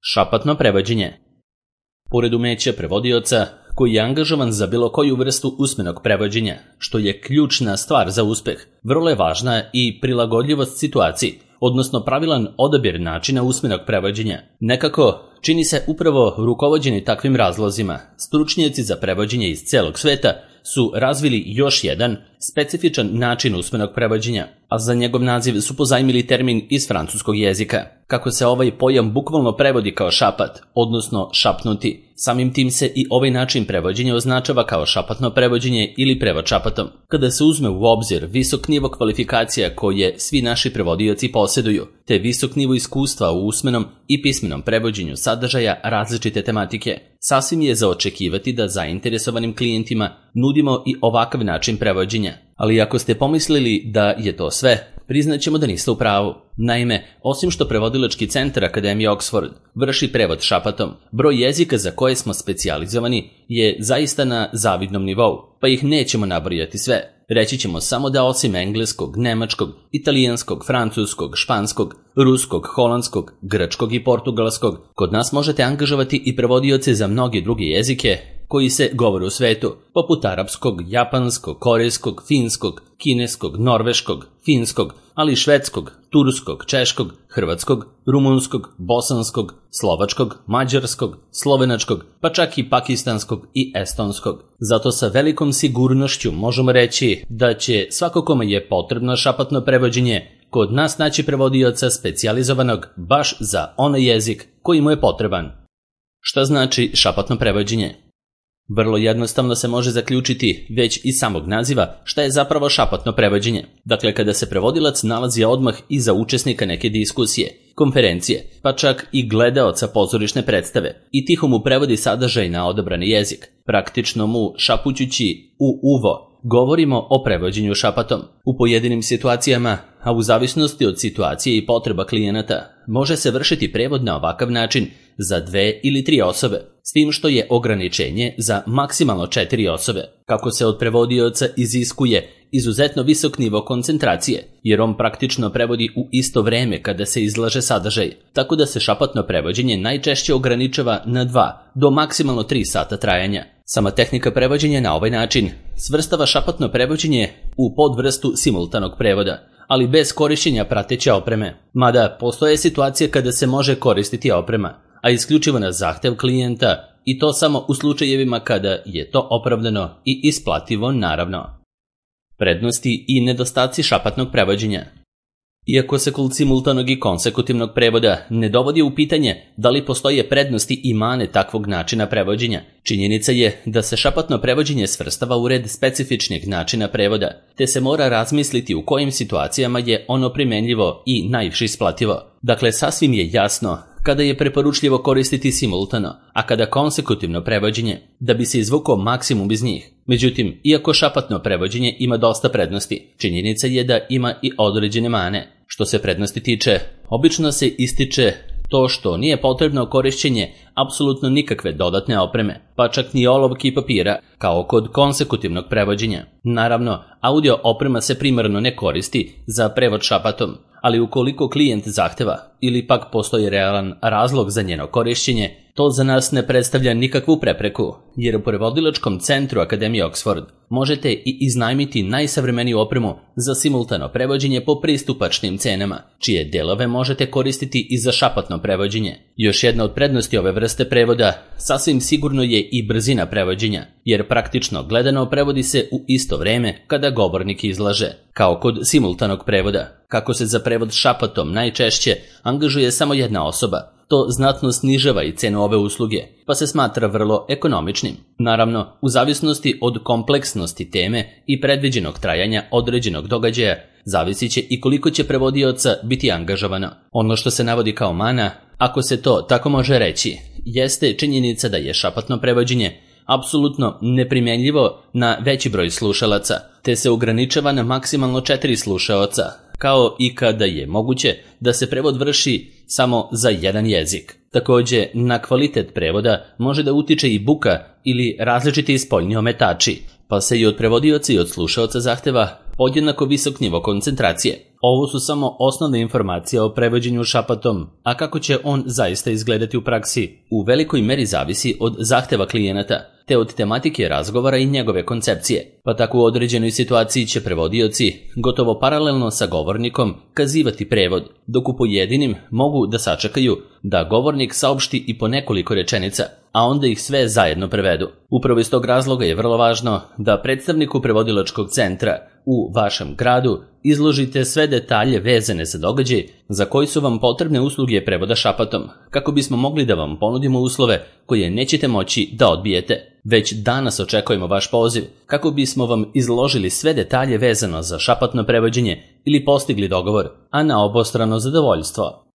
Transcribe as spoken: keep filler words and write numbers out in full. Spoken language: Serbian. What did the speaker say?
Šapatno prevođenje. Pored umeća prevodioca, koji je angažovan za bilo koju vrstu usmenog prevođenja, što je ključna stvar za uspeh, vrlo je važna i prilagodljivost situaciji, odnosno pravilan odabir načina usmenog prevođenja. Nekako, čini se upravo rukovođeni takvim razlozima, stručnjaci za prevođenje iz celog sveta su razvili još jedan specifičan način usmenog prevođenja, a za njegov naziv su pozajmili termin iz francuskog jezika. Kako se ovaj pojam bukvalno prevodi kao šapat, odnosno šapnuti, samim tim se i ovaj način prevođenja označava kao šapatno prevođenje ili prevod šapatom. Kada se uzme u obzir visok nivo kvalifikacija koje svi naši prevodioci posjeduju, te visok nivo iskustva u usmenom i pismenom prevođenju sadržaja različite tematike, sasvim je za očekivati da zainteresovanim klijentima nudimo i ovakav način prevođenja. Ali ako ste pomislili da je to sve, priznaćemo da niste u pravu. Naime, osim što prevodilački centar Akademije Oxford vrši prevod šapatom, broj jezika za koje smo specijalizovani je zaista na zavidnom nivou, pa ih nećemo nabrojati sve. Reći ćemo samo da osim engleskog, nemačkog, italijanskog, francuskog, španskog, ruskog, holandskog, grčkog i portugalskog, kod nas možete angažovati i prevodioce za mnoge druge jezike koji se govore u svetu, poput arapskog, japanskog, korejskog, finskog, kineskog, norveškog, finskog, ali i švedskog, turskog, češkog, hrvatskog, rumunskog, bosanskog, slovačkog, mađarskog, slovenačkog, pa čak i pakistanskog i estonskog. Zato sa velikom sigurnošću možemo reći da će svako kome je potrebno šapatno prevođenje kod nas naći prevodioca specijalizovanog baš za onaj jezik koji mu je potreban. Šta znači šapatno prevođenje? Vrlo jednostavno se može zaključiti već iz samog naziva šta je zapravo šapatno prevođenje. Dakle, kada se prevodilac nalazi odmah iza učesnika neke diskusije, konferencije, pa čak i gledaoca pozorišne predstave i tiho mu prevodi sadržaj na odabrani jezik, praktično mu šapućući u uvo, govorimo o prevođenju šapatom. U pojedinim situacijama, a u zavisnosti od situacije i potreba klijenata, može se vršiti prevod na ovakav način za dve ili tri osobe, s tim što je ograničenje za maksimalno četiri osobe. Kako se od prevodioca iziskuje izuzetno visok nivo koncentracije, jer on praktično prevodi u isto vreme kada se izlaže sadržaj, tako da se šapatno prevođenje najčešće ograničava na dva do maksimalno tri sata trajanja. Sama tehnika prevođenja na ovaj način svrstava šapatno prevođenje u podvrstu simultanog prevoda, ali bez korišćenja prateće opreme. Mada postoje situacije kada se može koristiti oprema, a isključivo na zahtev klijenta, i to samo u slučajevima kada je to opravdano i isplativo, naravno. Prednosti i nedostaci šapatnog prevođenja. Iako se kod simultanog i konsekutivnog prevoda ne dovodi u pitanje da li postoje prednosti i mane takvog načina prevođenja, činjenica je da se šapatno prevođenje svrstava u red specifičnih načina prevoda, te se mora razmisliti u kojim situacijama je ono primenljivo i najviše isplativo. Dakle, sasvim je jasno kada je preporučljivo koristiti simultano, a kada konsekutivno prevođenje, da bi se izvukao maksimum iz njih. Međutim, iako šapatno prevođenje ima dosta prednosti, činjenica je da ima i određene mane. Što se prednosti tiče, obično se ističe to što nije potrebno korišćenje apsolutno nikakve dodatne opreme, pa čak ni olovke i papira, kao kod konsekutivnog prevođenja. Naravno, audio oprema se primarno ne koristi za prevod šapatom, ali ukoliko klijent zahteva ili pak postoji realan razlog za njeno korišćenje, to za nas ne predstavlja nikakvu prepreku, jer u prevodilačkom centru Akademije Oxford možete i iznajmiti najsavremeniju opremu za simultano prevođenje po pristupačnim cenama, čije delove možete koristiti i za šapatno prevođenje. Još jedna od prednosti ove vrste prevoda sasvim sigurno je i brzina prevođenja, jer praktično gledano prevodi se u isto vreme kada govornik izlaže, kao kod simultanog prevoda. Kako se za prevod šapatom najčešće angažuje samo jedna osoba, to znatno snižava i cenu ove usluge, pa se smatra vrlo ekonomičnim. Naravno, u zavisnosti od kompleksnosti teme i predviđenog trajanja određenog događaja, zavisit će i koliko će prevodioca biti angažovano. Ono što se navodi kao mana, ako se to tako može reći, jeste činjenica da je šapatno prevođenje apsolutno neprimjenljivo na veći broj slušalaca, te se ograničava na maksimalno četiri slušaoca, kao i kada je moguće da se prevod vrši samo za jedan jezik. Također, na kvalitet prevoda može da utiče i buka ili različiti spoljni ometači, pa se i od prevodioca i od slušaoca zahteva podjednako visok nivo koncentracije. Ovo su samo osnovne informacije o prevođenju šapatom, a kako će on zaista izgledati u praksi, u velikoj meri zavisi od zahteva klijenata, te od tematike razgovora i njegove koncepcije, pa tako u određenoj situaciji će prevodioci, gotovo paralelno sa govornikom, kazivati prevod, dok u pojedinim mogu da sačekaju da govornik saopšti i po nekoliko rečenica, a onda ih sve zajedno prevedu. Upravo iz tog razloga je vrlo važno da predstavniku prevodilačkog centra u vašem gradu izložite sve detalje vezane za događaj za koji su vam potrebne usluge prevoda šapatom, kako bismo mogli da vam ponudimo uslove koje nećete moći da odbijete. Već danas očekujemo vaš poziv kako bismo vam izložili sve detalje vezano za šapatno prevođenje ili postigli dogovor, a na obostrano zadovoljstvo.